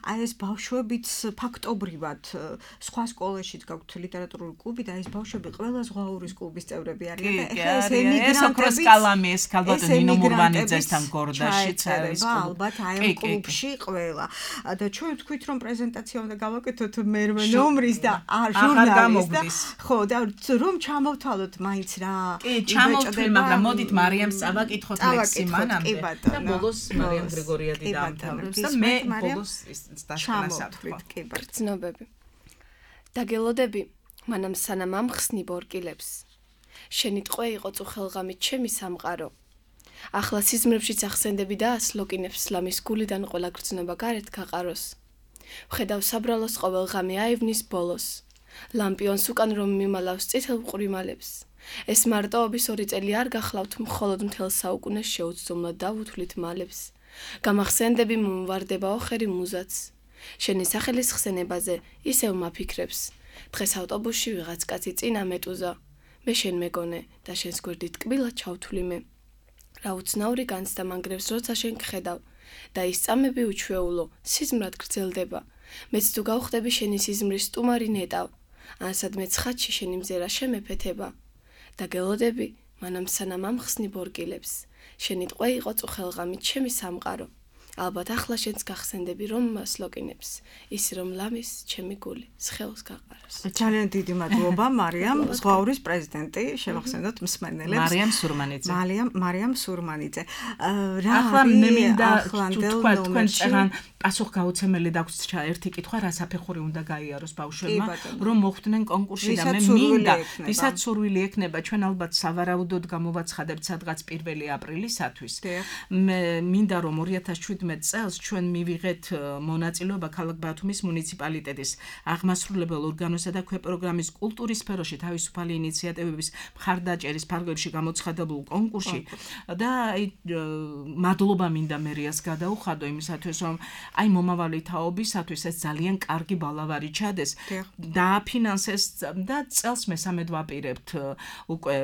Speaker 2: აი ეს ბავშვებიც ფაქტობრივად სხვა სკოლაშიც გაქვთ ლიტერატურული კლუბი და ეს ბავშვები ყველა ზღვაურის კლუბის წევრები არიან და ეხლა ეს ემიგრანტები კალამი
Speaker 3: ეს ქალბატონ ნინო მურვანიძესთან გორდაშიც არის
Speaker 2: ალბათ აი ამ კლუბში ყველა და ჩვენ ვთქვით რომ პრეზენტაცია უნდა გავაკეთოთ მერვე ნომრის და ჟურნალის და ხო და რომ ჩამოვთვალოთ მაინც რა
Speaker 3: კი ჩამოვთვლი მაგრამ მოდით მარიამს წავაკითხოთ ლექსი მანამდე და ბოლოს მარიამ გრიგორიადი დაამთავრებს და მე ბოლოს
Speaker 2: ჩამოვთვლით კი
Speaker 4: ბრძნობები დაგელოდები მანამ სანამ ამხსნი ბორკილებს შენი ტყვე იყო წუხელღამით ჩემი სამყარო ახლა სიზმრებშიც ახსენდები და ასლოკინებს ლამის გულიდან ყველა გრძნობა გარეთ გაყაროს ვხედავ საბრალოს ყოველ ღამე აივნის ბოლოს ლამპიონს უკან რომ მიმალავს წითელ მყვრიმალებს ეს მარტოობის 2 წელი არ გახლავთ მხოლოდ მთელ საუკუნეს შეუცდომლად დავუთვლით მალებს გამახსენდები მომვარდებაო ხერი მუზაც შენი სახელის ხსენებაზე ისევ მაფიქრებს დღეს ავტობუსში ვიღაც კაცი წინა მეტუზა მე შენ მეგონე და შენს გვერდით კბილად ჩავთვლი მე რა უცნაური განცდა მანგრევს როცა შენ გხედავ და ის წამები უჩვეულო სიზმრად გრძელდება მეც თუ გავხდები შენი სიზმრის სტუმარი ნეტავ ან სადმე ცხადში შენი მზერა შემეფეთება და გელოდები მანამ სანამ ამხსნი ბორკილებს შენი ტყვე იყო წუხელღამით ჩემი სამყარო ალბათ ახლა შენს გახსენდები რომ მასლოკინებს ის რომ ლამის ჩემი გული სხეულს გაყაროს
Speaker 2: ძალიან დიდი მადლობა მარიამ ზღვაურის პრეზიდენტი შევახსენოთ მსმენელებს მარიამ სურმანიძე რა
Speaker 3: ახლა მე მინდა თქვენ წერან პასუხგაუცემელი დაგვრჩა ერთი კითხვა რა საფეხური უნდა გაიაროს ბავშვებმა რომ მოხვდნენ კონკურსში და მე მინდა ვისაც სურვილი ექნება ჩვენ ალბათ სავარაუდოდ გამოვაცხადებთ სადღაც 1 აპრილისათვის მე მინდა რომ 2017 წელს ჩვენ მივიღეთ მონაწილეობა ქალაქ ბათუმის მუნიციპალიტეტის აღმასრულებელ ორგანოსა და ქვეპროგრამის კულტურის სფეროში თავისუფალი ინიციატივების მხარდაჭერის ფარგლებში გამოცხადებულ კონკურსში და მადლობა მინდა მერიას გადაუხადო იმისათვის რომ აი მომავალი თაობისათვის ეს ძალიან კარგი ბალავარი ჩადეს დააფინანსეს და წელს მესამედ ვაპირებთ უკვე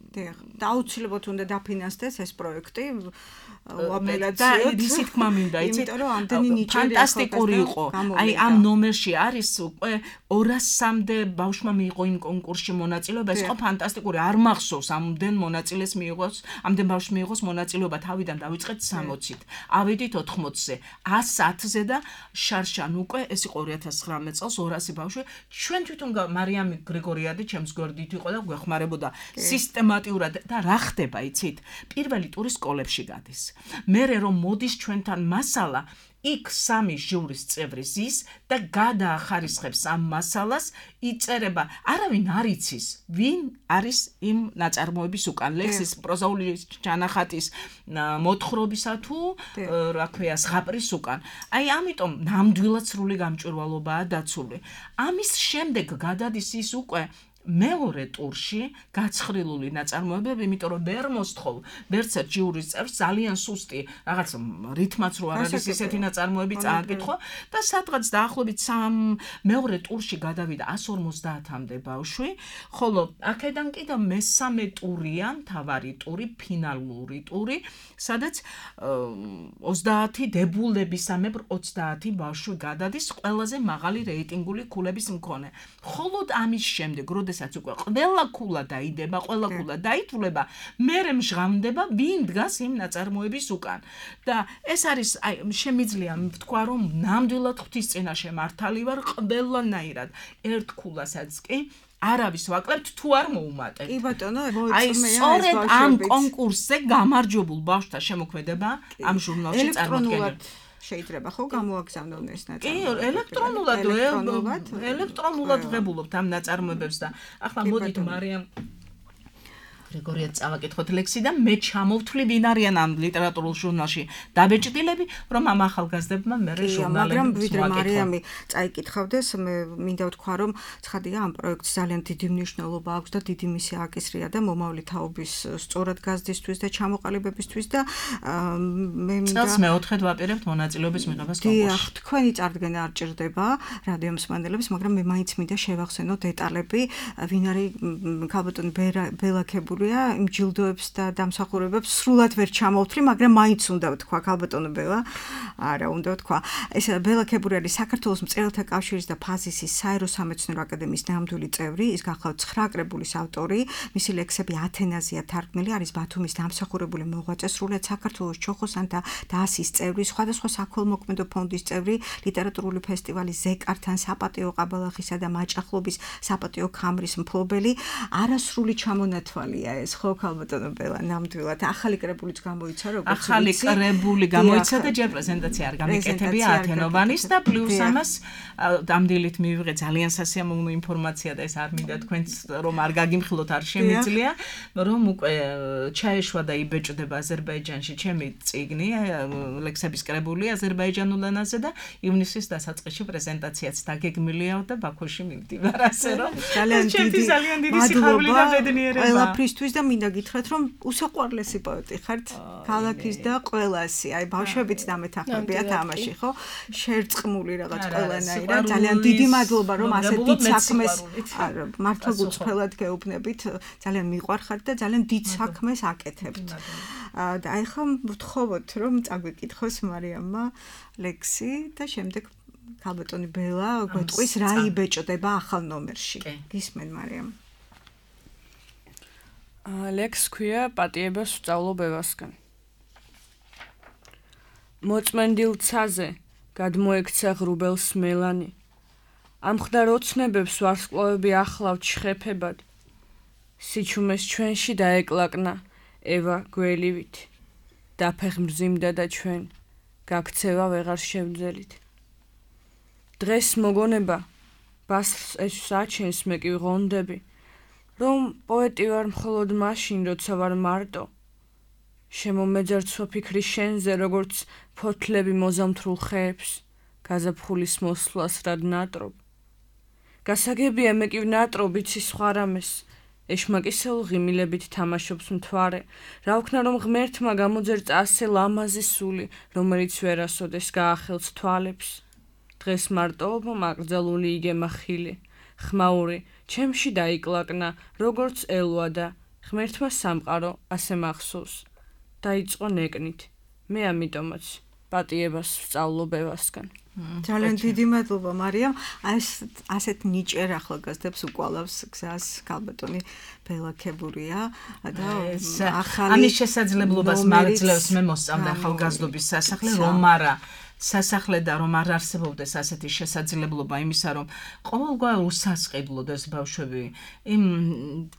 Speaker 2: და აუცილებლად უნდა დაფინანსდეს ეს პროექტი
Speaker 3: უაპელაციოდ ისი თქმა მინდა იცით
Speaker 2: იმიტომ რომ ამდენი ნიჭიერი
Speaker 3: ფანტასტიკური იყო აი ამ ნომერში არის უკვე 200-მდე ბავშვმა მიიღო იმ კონკურსში მონაწილეობა ეს იყო ფანტასტიკური არ მახსოვს ამდენ მონაწილეს მიიღოს ამდენ ბავშვს მიიღოს მონაწილეობა თავიდან დავიწყეთ 60-ით ავედით 80-ზე 110-ზე და შარშან უკვე ეს იყო 2019 წელს 200 ბავშვი ჩვენ თვითონ მარიამი გრიგორიადი ჩემს გვერდით იყო და გვეხმარებოდა სისტემატიურად და რა ხდება იცით პირველი ტური სკოლებში გადის მერე რომ მოდის ჩვენთან მასალა იქ სამი ჟურის წევრი ზის და გადაახარისხებს ამ მასალას, იწერება, არავინ არ იცის, ვინ არის იმ ნაწარმოების უკან, ლექსის პროზაული ჩანახატის მოთხრობისა თუ რა ქვია, ზღაპრის უკან. აი ამიტომ ნამდვილად სრული გამჭვირვალობაა დაცული. ამის შემდეგ გადადის ის უკვე მეორე ტურში გაცხრილული ნაწარმოებები, იმიტომ რომ ვერ მოსთხოვ ვერცერთ ჟიურის წევრს ძალიან სუსტი რაღაც რითმაც რო არ არის ისეთი ნაწარმოები წააკითხო და სადღაც დაახლოებით მეორე ტურში გადავიდა 150-მდე ბავშვი, ხოლო აქედან კიდევ მესამე ტურია, მთავარი ტური, ფინალური ტური, სადაც 30 დებულებისამებრ 30 ბავშვი გადადის ყველაზე მაღალი რეიტინგული ქულების მქონე. ხოლო ამის შემდეგ როდესაც უკვე ყველა ქულა დაიდება, ყველა ქულა დაითვლება, მერე მჟღავნდება, ვინ დგას იმ ნაწარმოების უკან. და ეს არის, აი, შემიძლია ვთქვა, რომ ნამდვილად ღვთის წინაშე მართალი ვარ, ყველანაირად ერთ ქულასაც კი არავის ვაკლებთ თუ არ მოუმატებთ.
Speaker 2: კი ბატონო,
Speaker 3: აი, სწორედ ამ კონკურსზე გამარჯვებულ ბავშვთა შემოქმედება ამ ჟურნალში წარმოდგენილია.
Speaker 2: შეიძლება ხო გამოაგზავნონ ეს ნაწარმოები?
Speaker 3: კი, ელექტრონულად ღებულობთ ამ ნაწარმოებებს და ახლა მოდით მარიამ გრიგორიას წავაკითხოთ ლექსი და მე ჩამოვთვლი ვინ არიან ამ ლიტერატურულ ჟურნალში დაბეჭდილები, რომ ამ ახალგაზრდებმა მერე ჟურნალები
Speaker 2: მაგრამ ვიდრე მარიამი წაიკითხავდეს, მე მინდა ვთქვა, რომ ცხადია ამ პროექტს ძალიან დიდი მნიშვნელობა აქვს და დიდი მისი აკისრია და მომავალი თაობის სწორად გაზრდისთვის და ჩამოყალიბებისთვის და მე მინდა
Speaker 3: წელს მეოთხედ ვაპირებთ მონაწილეობის მიღებას კონკურსში.
Speaker 2: დიახ, თქვენი წარდგენა არ ჭირდება რადიო მსმენელებს, მაგრამ მე მაინც მინდა შევახსენო დეტალები, ვინ არის ქალბატონი ბელაქებული იმ ჯილდოებს და დამსახურებებს სრულად ვერ ჩამოვთვლი, მაგრამ მაინც უნდა ვთქვა ქალბატონო ბელა. არა, უნდა ვთქვა. ეს ბელა ქებური არის საქართველოს მწერალთა კავშირის და ფაზისის საერო სამეცნიერო აკადემიის ნამდვილი წევრი, ის გახლავთ 9 კრებულის ავტორი, მისი ლექსები ათენაზეა თარგმნილი, არის ბათუმის დამსახურებული მოღვაწე, სრულად საქართველოს ჩოხოსანთა დაასის წევრი, სხვადასხვა საქველმოქმედო ფონდის წევრი, ლიტერატურული ფესტივალის ზეკართან, საპატიო ყაბალახისა და მაჭახლობის საპატიო ქამრის მფლობელი, არასრული ჩამონათვალია ეს ხო ქალბატონო ბელა ნამდვილად ახალი კრებულიც გამოიცა როგორც
Speaker 3: ახალი კრებული გამოიცა და ჯერ პრეზენტაცია არ გამიკეთებია ათენოვანის და პლუს ამას დამდილით მივიღე ძალიან სასიამოვნო ინფორმაცია და ეს არ მინდა თქვენს რომ არ გაგიმხილოთ არ შემიძლია რომ უკვე ჩაეშვა და იბეჭდება აზერბაიჯანში ჩემი წიგნი ლექსების კრებული აზერბაიჯანულ ენაზე და ივნისის დასაწყისში პრეზენტაციაც დაგეგმილია და ბაქოში მივდივარ ასე რომ ძალიან დიდი სიხარული და ბედნიერება
Speaker 2: თვის და მინდა გითხრათ რომ უსაყვარლესი პოეტი ხართ ქალაქის და ყველასი აი ბავშვებიც დამეთანხმებია თამაში ხო შერწყმული რაღაც ყველანაირად ძალიან დიდი მადლობა რომ ასე დიდ საქმეს მართლა გუწფელად გეუბნებით ძალიან მიყვარხართ და ძალიან დიდ საქმეს აკეთებთ და აი ხომ ვთხოვოთ რომ წაგვიკითხოს მარიამმა ლექსი და შემდეგ ქალბატონი ბელა გვეტყვის რა იბეჭდება ახალ ნომერში გისმენ მარიამ
Speaker 5: ლექს ქვია პატიება სწავლობებასგან. მოწმენდილ ცაზე გადმოექცა ღრუბელს მელანი. ამხდარ ოცნებებს ვარსკვლავები ახლავთ შხეფებად. სიჩუმეს ჩვენში დაეკლაკნა ევა გველივით. დაფეხმძიმდა და ჩვენ გაქცევა ვეღარ შევძელით. დღეს მოგონება ბასრს ეჩვსაჩენს მე კი ვღონდები. რომ პოეტი ვარ მხოლოდ მაშინ, როცა ვარ მარტო. შემომეძერცვა ფიქრი შენზე, როგორც ფოთლები მოზამთრულ ხეებს, გაზაფხულის მოსვლას რად ნატრობ. გასაგებია მე კი ვნატრობ იცი სხვა რამეს, ეშმაკისეულ ღიმილებით თამაშობს მთვარე, რა ვქნა რომ ღმერთმა გამოძერწა ასე ლამაზი სული, რომელიც ვერასოდეს გაახელს თვალებს. დღეს მარტოობა მაკრძალული იგემა ხილი. ხმაური ჩემში დაიკლაკნა როგორც ელვა და ღმერთმა სამყარო ასე მახსოვს დაიწყო ნეკნით მე ამიტომაც პატიებას ვსწავლობებასგან
Speaker 2: ძალიან დიდი მადლობა მარიამ ასეთ ნიჭერ ახალგაზრდებს უკვალავს გზას ქალბატონი ბელა ქებურია და ახალი
Speaker 3: ამის შესაძლებლობას მარძლევს მე მოსწავლე ახალგაზრდობის სასახლე რომ არა სასახლე და რომ არ არსებობდეს ასეთი შესაძლებლობა იმისა, რომ ყოველგვარ უსასყიდლოდეს ბავშვები, იმ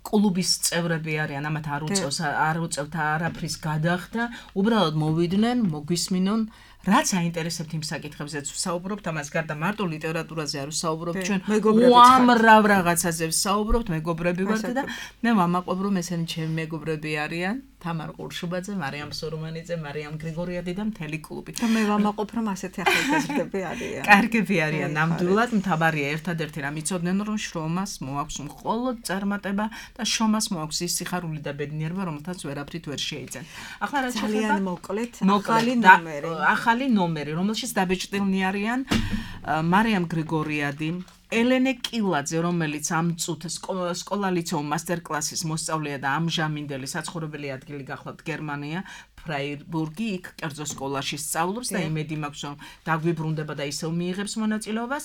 Speaker 3: კლუბის წევრები არიან, ამათ არ უწევთ არაფრის გადახდა, უბრალოდ მოვიდნენ, მოგვისმინონ რაც აინტერესებთ იმ საკითხებზეც ვსაუბრობთ, ამას გარდა მარტო ლიტერატურაზე არ ვსაუბრობთ, ჩვენ უამრავ რაღაცაზე ვსაუბრობთ, მეგობრები ვართ და მე ვამაყობ, რომ ესენი ჩემი მეგობრები არიან, თამარ ყურშუბაძე, მარიამ სურმანიძე, მარიამ გრიგორიადი და მთელი კლუბი.
Speaker 2: და მე ვამაყობ, რომ ასეთი ახალგაზრდები არიან.
Speaker 3: კარგები არიან, ნამდვილად მთავარია ერთადერთი რამ იცოდნენ, რომ შრომას მოაქვს მხოლოდ წარმატება და შრომას მოაქვს ის სიხარული და ბედნიერება, რომელთაც ვერაფრით ვერ შეიძენ. ახლა რაც
Speaker 2: ძალიან მოკლედ ახალი
Speaker 3: ნომერი, რომელშიც დაბეჭდილნი არიან მარიამ გრიგორიადი, ელენე კილაძე, რომელიც ამ წუთ სკოლა-ლიცეუმ მასტერკლასის მოსწავლეა და ამჟამინდელი საცხოვრებელი ადგილი გახლავთ გერმანია, ფრაიბურგი, იქ კერძო სკოლაში სწავლობს და იმედი მაქვს, რომ დაგვიბრუნდება და ისევ მიიღებს მონაწილეობას.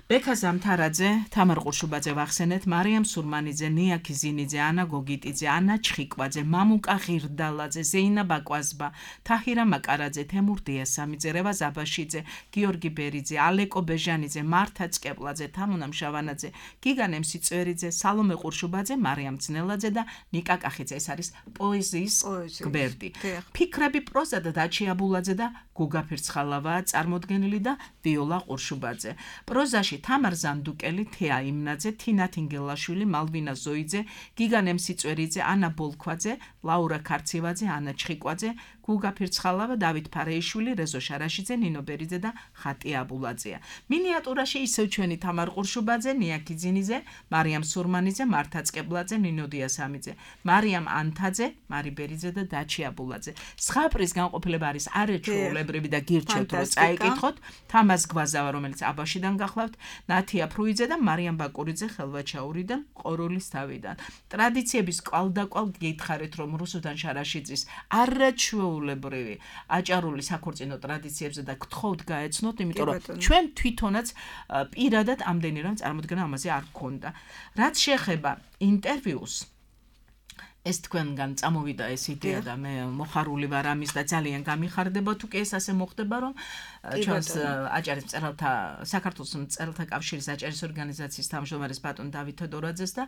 Speaker 3: ბექა ზამთარაძე, თამარ ყურშუბაძე ვახსენეთ, მარიამ სურმანიძე, ნია ქიზინიძე, ანა გოგიტიძე, ანა ჩხიკვაძე, მამუკა ღირდალაძე, ზეინა ბაკვაზბა, თაჰირა მაკარაძე, თემურ დიასამიძე, რევა ზაბაშიძე, გიორგი ბერიძე, ალეკო ბეჟანიძე, მართა წკეპლაძე, თამუნა მშავანაძე, გიგანე მსიწვერიძე, სალომე ყურშუბაძე, მარიამ ძნელაძე და ნიკა კახიძე. ეს არის პოეზიის გვერდი. ფიქრები პროზა და დაჩი აბულაძე და გუგა ფირცხალავაა წარმოდგენილი და ვიოლა ყურშუბაძე. პროზაში თამარ ზანდუკელი, თეა იმნაძე, თინა თინგელაშვილი, მალვინა ზოიძე, გიგანე მსიწვერიძე, ანა ბოლქვაძე, ლაურა ქარცივაძე, ანა ჩხიკვაძე, გუგა ფირცხალავა, დავით ფარეიშვილი, რეზო შარაშიძე, ნინო ბერიძე და ხატი აბულაძეა. მინიატურაში ისევ ჩვენი თამარ ყურშუბაძე, ნია ქიზინიძე, მარიამ სურმანიძე, მართა წკეპლაძე, ნინო დიასამიძე, მარიამ ანთაძე, მარი ბერიძე და დაჩი აბულაძე. სხვა პრის განყოფილება არის არაჩვეულებრივი და გირჩევთ რომ წაიკითხოთ, თამას გვაზავა, რომელიც აბაშიდან გახლავთ, ნათია ფრუიძე და მარიამ ბაკურიძე ხელვაჩაურიდან, ყორულის თავიდან. ტრადიციების კვალდაკვალ გითხარით, რომ რუსუდან შარაშიძის არაჩვეულებრივი აჭარული საქორწინო ტრადიციებზე და გთხოვთ გაეცნოთ, იმიტომ რომ ჩვენ თვითონაც პირადად ამდენი რამ წარმოდგენა ამაზე არ გქონდა. რაც შეეხება ინტერვიუს, ეს თქვენგან წამოვიდა ეს იდეა და მე მოხარული ვარ ამის და ძალიან გამიხარდება თუ კი ეს ასე მოხდება, რომ ჩვენს აჭარის მწერალთა საქართველოს მწერალთა კავშირის აჭარის ორგანიზაციის თავმჯდომარის ბატონ დავით თედორაძეს და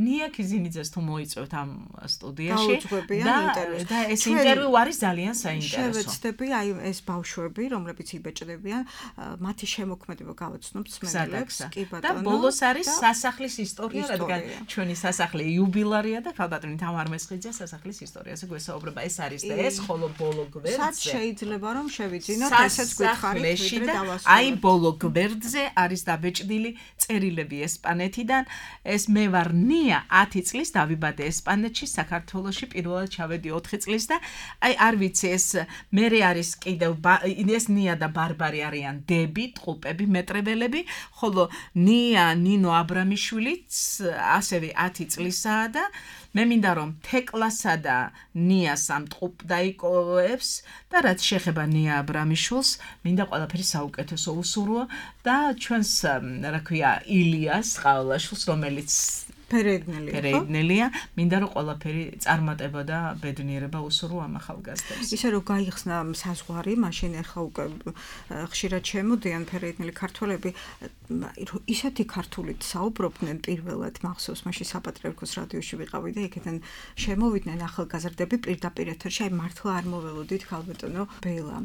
Speaker 3: ნია ქიზინიძეს თუ მოიწვევთ ამ სტუდიაში და ეს ინტერვიუ არის ძალიან საინტერესო.
Speaker 2: შევეცდები აი ეს ბავშვები, რომლებიც იბეჭდებიან, მათი შემოქმედება გავაცნობთ მსმენელებს, კი ბატონო.
Speaker 3: და ბოლოს არის სასახლის ისტორია, რადგან ჩვენი სასახლე იუბილარია და ქალბატონი თამარ მესხიძე სასახლის ისტორიაზე გვესაუბრება. ეს არის და ეს ხოლო ბოლო გვერდზე.
Speaker 2: სად შეიძლება რომ შევიძინოთ ესეც გითხარით ვიდრე დავასრულოთ.
Speaker 3: აი ბოლო გვერდზე არის დაბეჭდილი წერილები ესპანეთიდან. ეს მე ვარ ნია 10 წლის დავიბადე ესპანეთში, საქართველოში პირველად ჩავედი 4 წლის და აი არ ვიცი ეს მერე არის კიდევ ეს ნია და ბარბარი არიან დები, ტყუპები, მეტრეველები, ხოლო ნია ნინო აბრამიშვილიც ასევე 10 წლისაა და მე მინდა რომ თეკლასა და ნიას ამ ტყუპ დაიკოვებს და რაც შეეხება ნია აბრამიშვილს, მინდა ყველაფერი საუკეთესო უსურვო და ჩვენს რა ქვია ილიას ყავლაშვილს, რომელიც ფერეიდნელია, მინდა რომ ყველაფერი წარმატება და ბედნიერება უსურვო ამ ახალგაზრდებს.
Speaker 2: ისე რომ გაიხსნა საზღვარი, მაშინ ახლა უკვე ხშირად შემოდიან ფერეიდნელი ქართველები, ისეთი ქართულით საუბრობდნენ პირველად, მახსოვს მაშინ საპატრიარქოს რადიოში ვიყავი და იქიდან შემოვიდნენ ახალგაზრდები პირდაპირ ეთერში, აი მართლა არ მოველოდით ქალბატონო ბელა.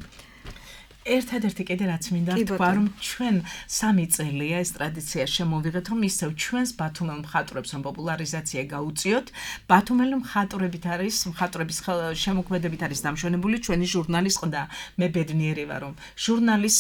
Speaker 3: ერთადერთი კიდე რაც მინდა თქვა, რომ ჩვენ 3 წელია ეს ტრადიცია შემოვიღეთ, რომ ისევ ჩვენს ბათუმელ მხატვრებს რომ პოპულარიზაცია გაუწიოთ. ბათუმელი მხატვრების შემოქმედებით არის დამშვენებული ჩვენი ჟურნალის ყდა. მე ბედნიერი ვარ, რომ ჟურნალის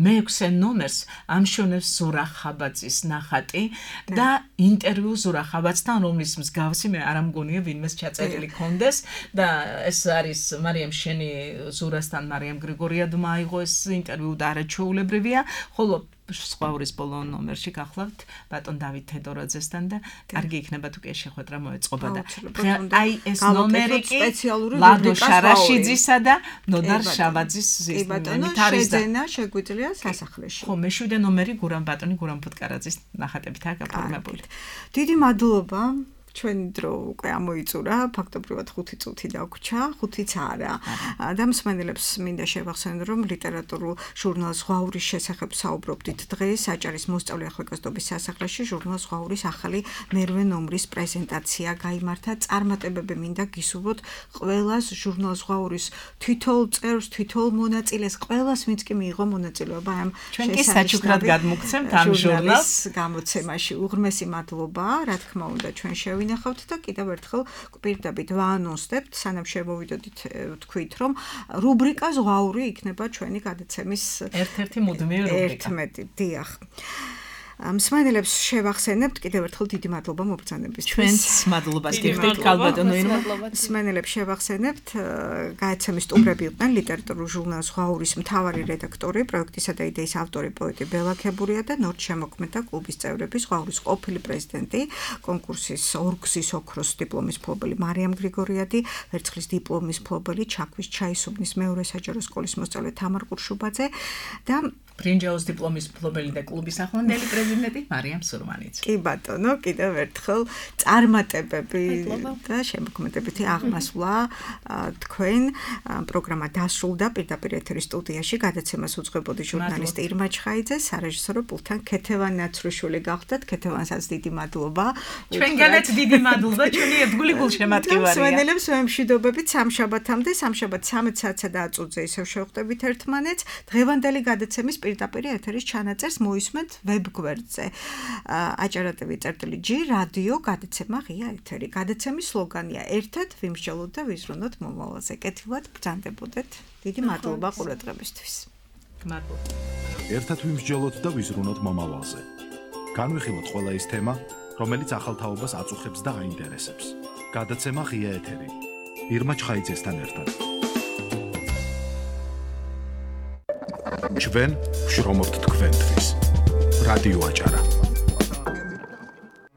Speaker 3: მე-6 ნომერს ამშვენებს ზურა ხაბაძის ნახატი და ინტერვიუ ზურა ხაბაძთან, რომლის მსგავსი მე არ ამგონია ვინმეს ჩაწერილი კონდეს და ეს არის მარიამ შენი ზურასთან, მარიამ გრიგორიადმა აიღო ეს ინტერვიუ და არაჩვეულებრივია, ხოლო სხვაურის ბოლო ნომერში გახლავთ ბატონ დავით თედორაძესთან და კარგი იქნება თუ კი შეხვედრა მოეწყობა და აი ეს ნომერი კი ლადო შარაშიძისა და ნოდარ შავაძის
Speaker 2: შეძენა შეგვიძლია სასახლეში.
Speaker 3: ხო, მე-7 ნომერი ბატონი გურამ ფუტკარაძის ნახატებითაა გაფორმებული.
Speaker 2: დიდი მადლობა ჩვენი დრო უკვე ამოიწურა, ფაქტობრივად 5 წუთი დაგვრჩა, 5-იც არა. და მსმენელებს მინდა შევახსენო, რომ ლიტერატურულ ჟურნალ ზღვაურის შესახებ საუბრობდით დღეს, აჭარის მოსწავლე ახალგაზრდობის სასახლეში ჟურნალ ზღვაურის ახალი მერვე ნომრის პრეზენტაცია გაიმართა. წარმატებები მინდა გისურვოთ ყველას ჟურნალ ზღვაურის თითოეულ წევრს, თითოეულ მონაწილეს, ყველას ვინც კი მიიღო მონაწილეობა ამ
Speaker 3: ჩვენ კი საჩუქრად გადმოგცემთ ამ ჟურნალს
Speaker 2: გამოცემაში. უღრმესი მადლობა, რა თქმა უნდა, ჩვენ შევინახავთ და კიდევ ერთხელ გვპირდებით ვაანონსდებთ, სანამ შევმოვიდოდით თქვით, რომ რუბრიკა ზღვაური იქნება ჩვენი გადაცემის
Speaker 3: ერთ-ერთი მუდმივი რუბრიკა.
Speaker 2: 11, დიახ. მსმენელებს შევახსენებთ კიდევ ერთხელ დიდი მადლობა მობრძანებისთვის.
Speaker 3: ჩვენს მადლობას გიხდით ქალბატონო ირმა.
Speaker 2: მსმენელებს შევახსენებთ გადაცემის სტუმრები იყვნენ ლიტერატურულ ჟურნალ ზღვაურის მთავარი რედაქტორი, პროექტისა და იდეის ავტორი პოეტი ბელა ქებურია და ნორჩ შემოქმედა კლუბის წევრები, ზღვაურის ყოფილი პრეზიდენტი, კონკურსის ორგზის ოქროს დიპლომის მფლობელი მარიამ გრიგორიადი, ვერცხლის დიპლომის მფლობელი, ჩაქვის ჩაისუბნის მეორე საჯარო სკოლის მოსწავლე თამარ ყურშუბაძე და
Speaker 3: ბრინჯაოს დიპლომის მფლობელი და კლუბის ახლანდელი პრეზიდენტი მარიამ სურმანიძე.
Speaker 2: კი ბატონო, კიდევ ერთხელ წარმატებები და შემოქმედებითი აღმასვლა თქვენ. პროგრამა დასრულდა პირდაპირ ეთერის სტუდიაში. გადაცემას უძღვებოდი ჟურნალისტი ირმა ჩხაიძე, სარეჟისორო პულთან ქეთევან ნაცრუშვილი გახდათ. ქეთევანსაც დიდი მადლობა.
Speaker 3: ჩვენგანაც დიდი მადლობა, ჩვენი ერთგული გულშემატკივარია.
Speaker 2: მსმენელებს ვემშვიდობებით სამშაბათამდე, სამშაბათ 13 საათსა და 10 წუთზე ისევ შევხვდებით ერთმანეთს. დღევანდელი გადაცემის პირდაპირ ეთერის ჩანაწერს მოისმენთ ვებგვერდზე. aჭara.tv/g რადიო გადაცემა ღია ეთერი. გადაცემის სლოგანია ერთად ვიმსჯელოთ და ვიზრუნოთ მომავალზე. კეთილად ბრძანდებოდეთ. დიდი მადლობა ყურადღებისთვის.
Speaker 3: მადლობა.
Speaker 1: ერთად ვიმსჯელოთ და ვიზრუნოთ მომავალზე. განვიხილოთ ყველა ის თემა, რომელიც ახალთაობას აწუხებს და აინტერესებს. გადაცემა ღია ეთერი. ირმა ჩხაიძესთან ერთად. ჩვენ ვშრომობთ თქვენთვის. რადიო აჭარა.